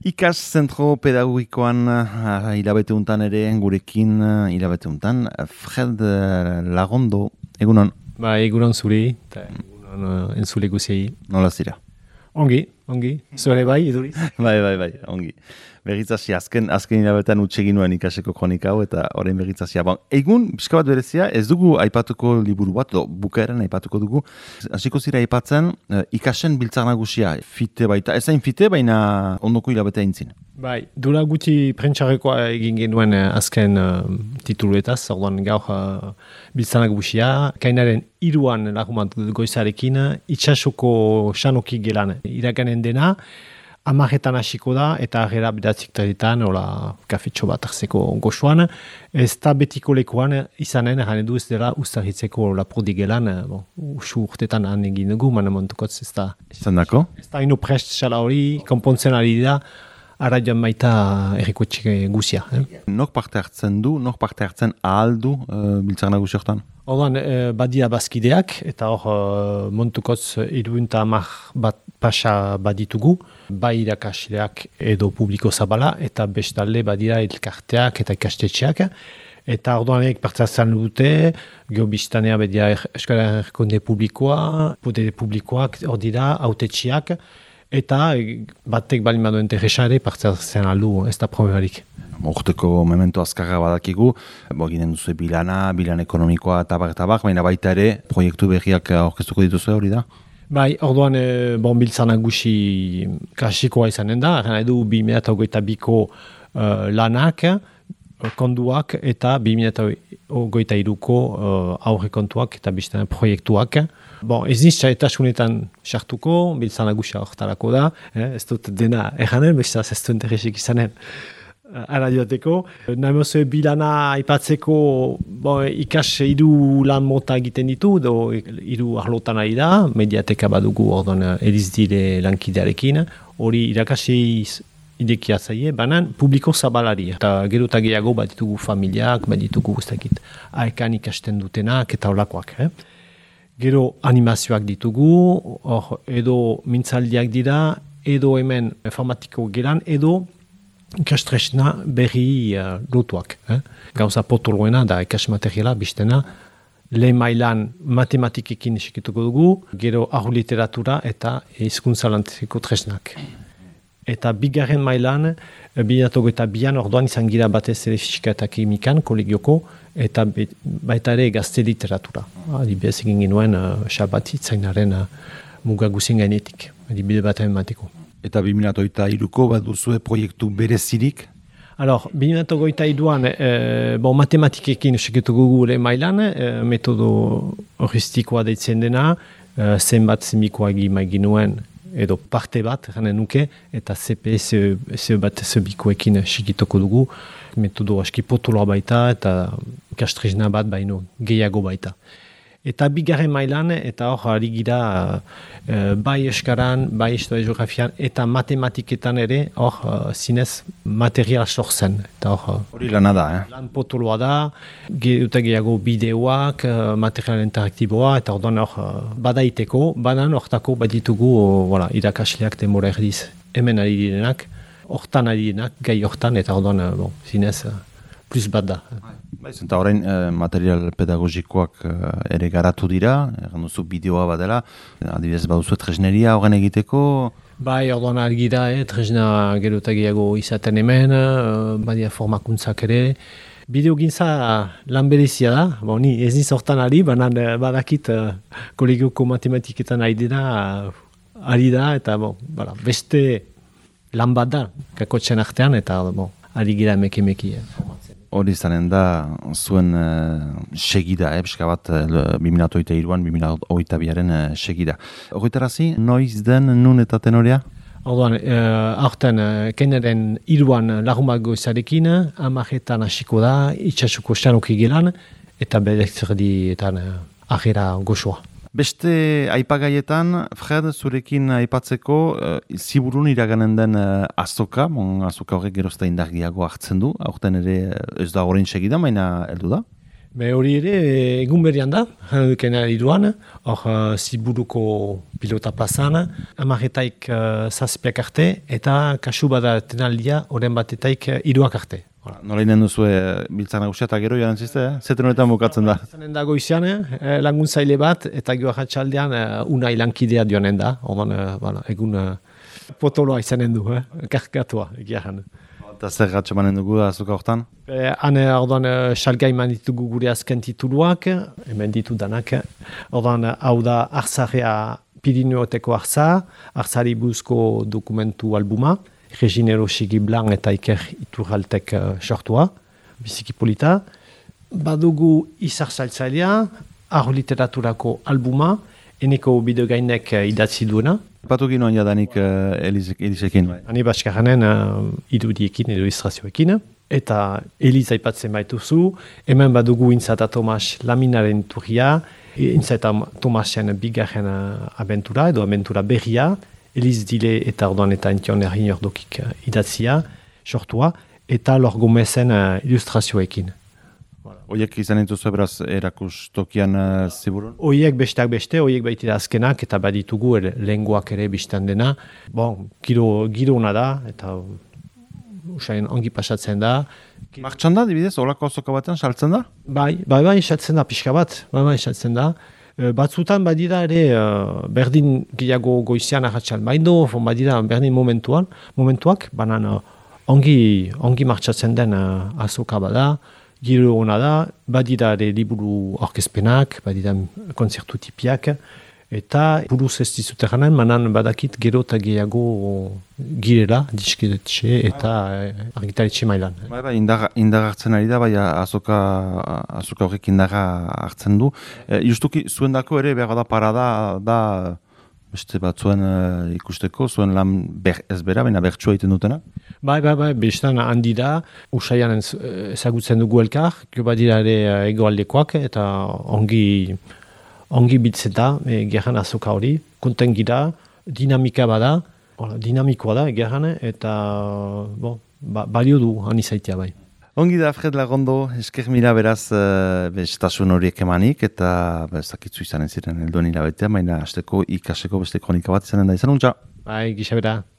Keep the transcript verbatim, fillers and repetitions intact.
Ikas zentro pedagogikoan uh, hilabete untan ere, gurekin uh, hilabete untan, Fred uh, Lagondo, egunon? Ba, egunon zuri, eta egunon uh, entzule guziei. Nola zira? Ongi, ongi, zure bai, eduriz? bai, bai, bai, ongi. Berritzazia, azken, azken hilabetean utxegin nuen ikaseko kronika hau, eta orain berritzazia. Bon, egun, pixka bat berezia, ez dugu aipatuko liburu bat, do, bukaeran aipatuko dugu. Hasiko zira aipatzen, uh, ikasen biltzar nagusia, fite baita, ez hain fite, baina ondoko hilabetea intzin. Bai, dura gutxi prentxarrekoa egin genuen uh, azken uh, tituluetaz, orduan gaur uh, biltzar nagusia, kainaren iruan lagumat goizarekin, itxasoko xanoki gelan iraganen dena, Amaretan hasiko da, eta agera bedatzik taretan, hola, kafetxo bat hartzeko goxuan. Ez da betiko lekuan izanen, gane du ez dela ustaritzeko lapurdi gelan, bon, usu urtetan han egin dugu, mana montukotz ez da. Izan dako? Ez da ino prest xala hori, konpontzen ari da, ara joan baita errikoetxe guzia. Eh? Nok parte hartzen du, nok parte hartzen ahal du uh, biltzar nagusi hortan? Orduan, eh, badia bazkideak, eta hor uh, montukotz iruinta amak bat pasa baditugu, bai irakasleak edo publiko zabala, eta bestalde badira elkarteak eta ikastetxeak. Eta orduanek partzazan dute, geobiztanea bedia Euskal Herrikonde publikoa, podere publikoak hor dira, autetxiak, eta batek balin baduen terresare partzazan aldu, ez da problemarik. Urteko memento azkarra badakigu, bo ginen duzu bilana, bilan ekonomikoa eta bar eta bar, baina baita ere proiektu berriak aurkeztuko dituzu hori da? Bai, orduan e, bon biltzan nagusi klasikoa izanen da, gana edu bi mila hogeita biko uh, lanak, konduak eta bi mila hogeita iruko uh, aurre kontuak eta bizten proiektuak. Bon, ez nizta eta sunetan sartuko, biltzan nagusia hortarako da, eh, ez dut dena erranen, bestaz ez du interesik izanen. Ara diateko. Naimoze bilana aipatzeko bo, ikas hiru lan mota egiten ditu, do hiru arlotan ari da, mediateka badugu orduan Elizdire lankidearekin, hori irakasi idekia zaie, banan publiko zabalari. Eta gero eta gehiago bat ditugu familiak, bat ditugu guztakit aekan ikasten dutenak eta olakoak. Eh? Gero animazioak ditugu, or, edo mintzaldiak dira, edo hemen informatiko geran, edo ikastresna berri uh, lotuak. Eh? Gauza potoloena da ikasmateriala biztena, lehen mailan matematikekin esekituko dugu, gero ahu literatura eta hizkuntza lantzeko tresnak. Eta bigarren mailan, bilato eta bian orduan izan gira batez ere fisika eta kimikan, kolegioko, eta baita ere gazte literatura. Adibidez egin genuen uh, xabat itzainaren uh, mugaguzien gainetik, adibide bat emateko. Eta bi mila hogeita hiruko bat duzue proiektu berezirik? Alors, bi mila hogeita hiruan eh, bon, matematikekin esekituko gure mailan, eh, metodo horistikoa deitzen dena, eh, zenbat zenbikoa egin ginuen, edo parte bat, gana nuke, eta C P S bat zenbikoekin esekituko dugu, metodo aski potoloa baita, eta kastrezna bat baino gehiago baita. Eta bigarren mailan, eta hor ari gira uh, bai eskaran, bai historia geografian, eta matematiketan ere hor uh, zinez material sortzen. Eta hor hori lana da, eh? Lan potoloa da, ge, gehiago bideoak, uh, material interaktiboa, eta orduan hor uh, badaiteko, banan hortako baditugu uh, voilà, irakasleak demora erdiz hemen ari direnak, hortan ari direnak, gai hortan, eta orduan uh, bon, zinez uh, plus bat da. Baiz, eta horrein eh, material pedagogikoak eh, ere garatu dira, egan duzu bideoa badela, adibidez baduzu tresneria horren egiteko? Bai, orduan argi da, eh, tresna gero eta gehiago izaten hemen, uh, badia formakuntzak ere. Bideo gintza lan berezia da, bo, ni ez niz hortan ari, banan badakit uh, kolegioko matematiketan ari dira, uh, ari da, eta bo, bala, beste lan bat da, kakotxen artean, eta bo, ari gira emeki-emeki. Eh, Hori izanen da, zuen uh, segida, eh, pixka bat, uh, bi mila hogeita hiruan, bi mila hogeita biaren uh, segida. Horretarazi, noiz den nun eta tenorea? Orduan, uh, aurten, uh, kenaren hiruan lagumak goizarekin, amaretan hasiko da, itxasuko xanoki gelan, eta bedezerdietan uh, ahera goxoa. Beste aipagaietan, Fred, zurekin aipatzeko, uh, ziburun iraganen den uh, azoka, bon, azoka horrek gerozta indargiago hartzen du, aurten ere ez da horrein segida, baina heldu da? Me hori ere, egun berrian da, janudukena iruan, hor uh, Ziburuko pilota plazan, amaretaik uh, zazpiak arte, eta kasu bada tenaldia, oren batetaik uh, iruak arte. Nola inen duzu biltzan nagusia eta gero joan zizte, eh? Zeten honetan bukatzen da? Zanen dago izan, eh, laguntzaile bat, eta gero jatxaldean uh, unai lankidea joanen da, ordan, uh, bueno, egun uh, potoloa izanen du, eh? Karkatua, egia jan. Eta zer gatxe manen dugu da azuka hortan? Hane, ordan, salgai man ditugu gure azken tituluak, hemen ditu danak. Ordan, hau da Arzarea Pirineoteko Arza, Arzari buzko dokumentu albuma, Reginero Sigi Blanc eta Iker Iturraltek uh, sortua, biziki polita. Badugu Izar Saltzailea, Arro Literaturako albuma, eneko bidegainek uh, idatzi duena. Patu ginoan jadanik uh, Elizekin, bai? Hani Baskarranen uh, idudiekin, illustrazioekin. Eta Eliz aipatzen baituzu, hemen badugu Intza eta Tomas Laminaren turria, Intza eta Tomasen bigarren uh, abentura, edo abentura berria, Eliz Dile eta orduan eta ention errin ordokik uh, idatzia, sortua, eta Lor Gomezen uh, illustrazioekin. Oiek izan dituzu beraz erakustokian uh, Ziburun? Oiek besteak beste, oiek baitira azkenak, eta baditugu er, lenguak ere biztan dena. Bon, giro, giro ona da, eta usain ongi pasatzen da. Martxan da, dibidez, olako azoka batean saltzen da? Bai, bai, bai, saltzen da, pixka bat, bai, bai, saltzen da. E, batzutan badira ere, uh, berdin gehiago goizian ahatsan, baindo, badira berdin momentuan, momentuak, banan uh, ongi, ongi martxatzen den uh, azoka bada, giro hona da, badira ere liburu orkezpenak, badira konzertu tipiak, eta buruz ez dizute ganen, manan badakit gero eta gehiago girela, diskidetxe eta argitaletxe mailan. Bai, bai, indaga, indaga hartzen ari da, bai, azoka, azoka horrek indaga hartzen du. E, justuki, zuen dako ere, behar da parada, da, beste bat zuen uh, ikusteko, zuen lan ber, ez bera, baina bertsua egiten dutena? Bai, bai, bai, bestan handi da, usaian ezagutzen dugu elkar, gero badira ere egoaldekoak, eta ongi, ongi bitzen da, e, gerran azoka hori, konten gira, dinamika bada, Ola, dinamikoa da, gerran, eta bon, ba, balio du, hani zaitea bai. Ongi da, Fred Lagondo, esker mira beraz uh, bestasun horiek emanik, eta bezakitzu izanen ziren helduen hilabetea, baina hasteko ikaseko beste kronika bat izanen da izan, untxa? Bai, gisa bera.